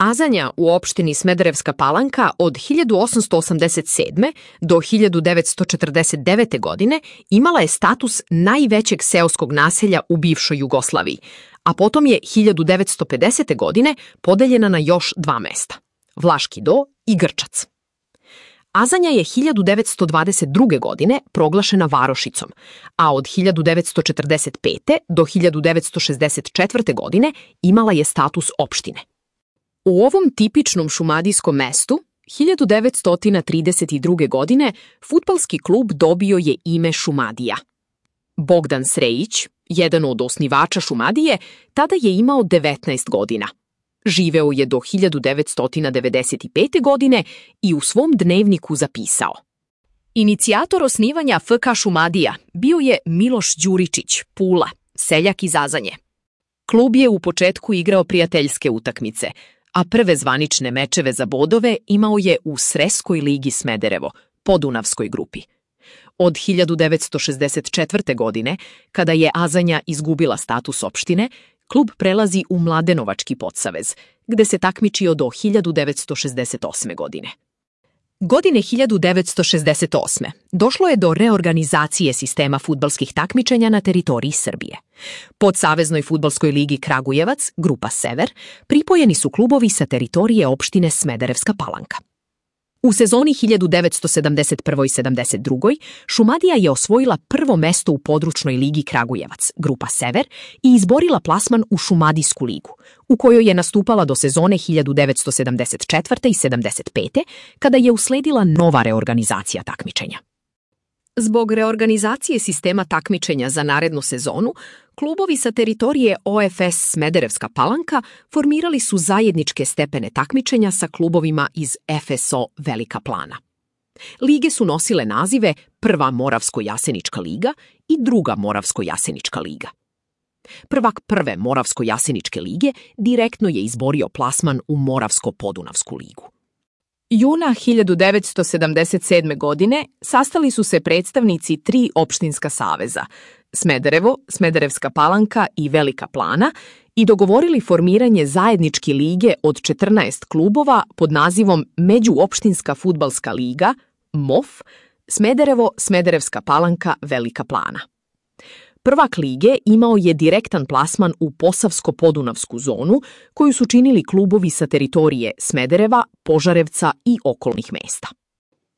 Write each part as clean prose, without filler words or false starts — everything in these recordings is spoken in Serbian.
Azanja u opštini Smederevska Palanka od 1887. do 1949. godine imala je status najvećeg seoskog naselja u bivšoj Jugoslaviji, a potom je 1950. godine podeljena na još dva mesta – Vlaški Do i Grčac. Azanja je 1922. godine proglašena varošicom, a od 1945. do 1964. godine imala je status opštine. U ovom tipičnom šumadijskom mestu 1932. godine fudbalski klub dobio je ime Šumadija. Bogdan Srejić, jedan od osnivača Šumadije, tada je imao 19 godina. Živeo je do 1995. godine i u svom dnevniku zapisao: Inicijator osnivanja FK Šumadija bio je Miloš Đuričić, Pula, seljak iz Azanje. Klub je u početku igrao prijateljske utakmice, a prve zvanične mečeve za bodove imao je u Sreskoj ligi Smederevo, podunavskoj grupi. Od 1964. godine, kada je Azanja izgubila status opštine, klub prelazi u Mladenovački podsavez, gde se takmičio do 1968. godine. Godine 1968. došlo je do reorganizacije sistema fudbalskih takmičenja na teritoriji Srbije. Pod Saveznoj fudbalskoj ligi Kragujevac, grupa Sever, pripojeni su klubovi sa teritorije opštine Smederevska Palanka. U sezoni 1971-72. Šumadija je osvojila prvo mesto u područnoj ligi Kragujevac, grupa Sever, i izborila plasman u Šumadijsku ligu, u kojoj je nastupala do sezone 1974. i 75. kada je usledila nova reorganizacija takmičenja. Zbog reorganizacije sistema takmičenja za narednu sezonu, klubovi sa teritorije OFS Smederevska Palanka formirali su zajedničke stepene takmičenja sa klubovima iz FSO Velika Plana. Lige su nosile nazive Prva Moravsko-Jasenička liga i Druga Moravsko-Jasenička liga. Prvak Prve Moravsko-Jaseničke lige direktno je izborio plasman u Moravsko-Podunavsku ligu. Juna 1977. godine sastali su se predstavnici tri opštinska saveza – Smederevo, Smederevska Palanka i Velika Plana i dogovorili formiranje zajedničke lige od 14 klubova pod nazivom Međuopštinska fudbalska liga, MOF, Smederevo, Smederevska Palanka, Velika Plana. Prvak lige imao je direktan plasman u Posavsko-Podunavsku zonu, koju su činili klubovi sa teritorije Smedereva, Požarevca i okolnih mesta.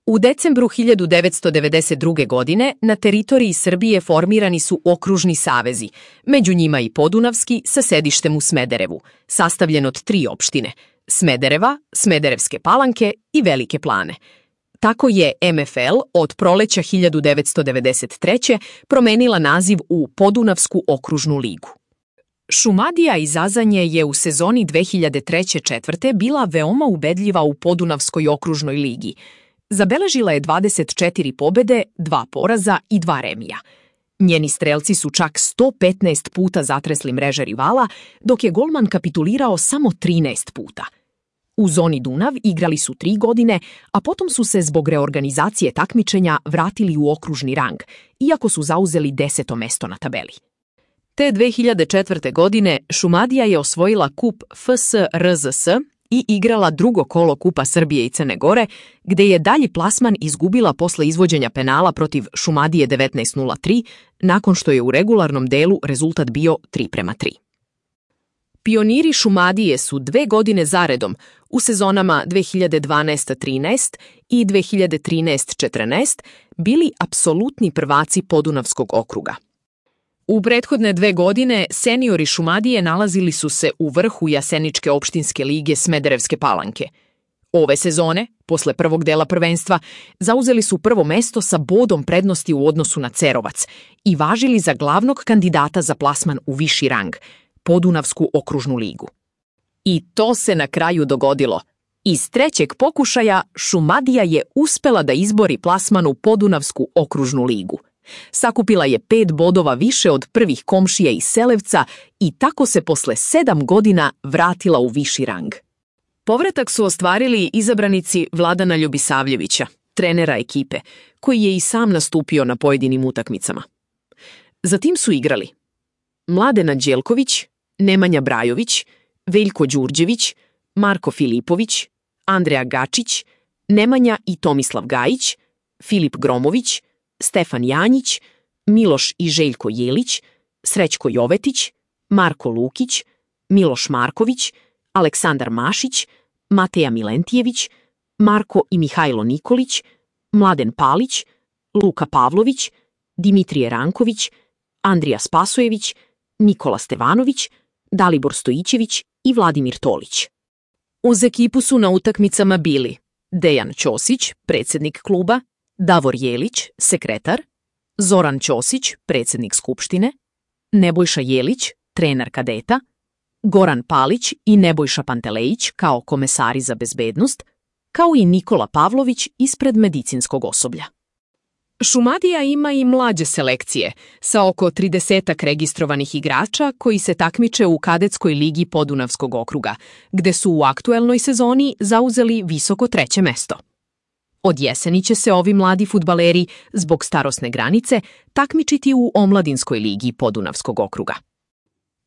U decembru 1992. godine na teritoriji Srbije formirani su okružni savezi, među njima i Podunavski sa sedištem u Smederevu, sastavljen od tri opštine – Smedereva, Smederevske Palanke i Velike Plane. Tako je MFL od proleća 1993. promenila naziv u Podunavsku okružnu ligu. Šumadija iz Azanje je u sezoni 2003-2004. bila veoma ubedljiva u Podunavskoj okružnoj ligi. Zabeležila je 24 pobede, 2 poraza i 2 remija. Njeni strelci su čak 115 puta zatresli mreže rivala, dok je golman kapitulirao samo 13 puta. U zoni Dunav igrali su 3 godine, a potom su se zbog reorganizacije takmičenja vratili u okružni rang, iako su zauzeli 10. mesto na tabeli. Te 2004. godine Šumadija je osvojila kup FSRZS i igrala drugo kolo Kupa Srbije i Crne Gore, gde je dalji plasman izgubila posle izvođenja penala protiv Šumadije 19:03, nakon što je u regularnom delu rezultat bio 3:3. Pioniri Šumadije su 2 godine zaredom u sezonama 2012-13 i 2013-14 bili apsolutni prvaci Podunavskog okruga. U prethodne 2 godine seniori Šumadije nalazili su se u vrhu Jaseničke opštinske lige Smederevske Palanke. Ove sezone, posle prvog dela prvenstva, zauzeli su prvo mesto sa bodom prednosti u odnosu na Cerovac i važili za glavnog kandidata za plasman u viši rang, Podunavsku okružnu ligu. I to se na kraju dogodilo. Iz 3. pokušaja Šumadija je uspela da izbori plasman u Podunavsku okružnu ligu. Sakupila je 5 bodova više od prvih komšija iz Selevca i tako se posle 7 godina vratila u viši rang. Povratak su ostvarili izabranici Vladana Ljubisavljevića, trenera ekipe, koji je i sam nastupio na pojedinim utakmicama. Zatim su igrali Mladen Anđelković, Nemanja Brajović, Veljko Đurđević, Marko Filipović, Andreja Gačić, Nemanja i Tomislav Gajić, Filip Gromović, Stefan Janjić, Miloš i Željko Jelić, Srećko Jovetić, Marko Lukić, Miloš Marković, Aleksandar Mašić, Mateja Milentijević, Marko i Mihajlo Nikolić, Mladen Palić, Luka Pavlović, Dimitrije Ranković, Andrija Spasojević, Nikola Stevanović, Dalibor Stojićević i Vladimir Tolić. Uz ekipu su na utakmicama bili Dejan Ćosić, predsjednik kluba, Davor Jelić, sekretar, Zoran Ćosić, predsjednik skupštine, Nebojša Jelić, trener kadeta, Goran Palić i Nebojša Pantelejić kao komesari za bezbednost, kao i Nikola Pavlović ispred medicinskog osoblja. Šumadija ima i mlađe selekcije, sa oko 30 registrovanih igrača koji se takmiče u kadetskoj ligi Podunavskog okruga, gde su u aktuelnoj sezoni zauzeli visoko 3. mesto. Od jeseni će se ovi mladi fudbaleri, zbog starosne granice, takmičiti u omladinskoj ligi Podunavskog okruga.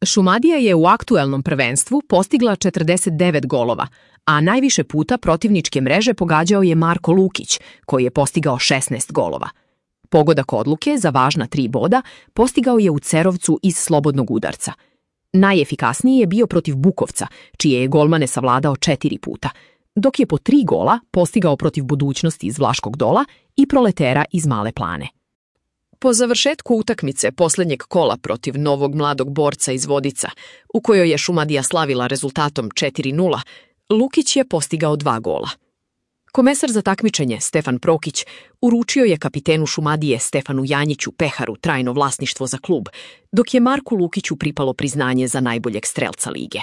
Šumadija je u aktuelnom prvenstvu postigla 49 golova, a najviše puta protivničke mreže pogađao je Marko Lukić, koji je postigao 16 golova. Pogodak odluke za važna 3 boda postigao je u Cerovcu iz slobodnog udarca. Najefikasniji je bio protiv Bukovca, čije je golmane savladao 4 puta, dok je po 3 gola postigao protiv Budućnosti iz Vlaškog Dola i Proletera iz Male Plane. Po završetku utakmice posljednjeg kola protiv novog mladog borca iz Vodica, u kojoj je Šumadija slavila rezultatom 4:0, Lukić je postigao 2 gola. Komesar za takmičenje, Stefan Prokić, uručio je kapitenu Šumadije Stefanu Janjiću Peharu trajno vlasništvo za klub, dok je Marku Lukiću pripalo priznanje za najboljeg strelca lige.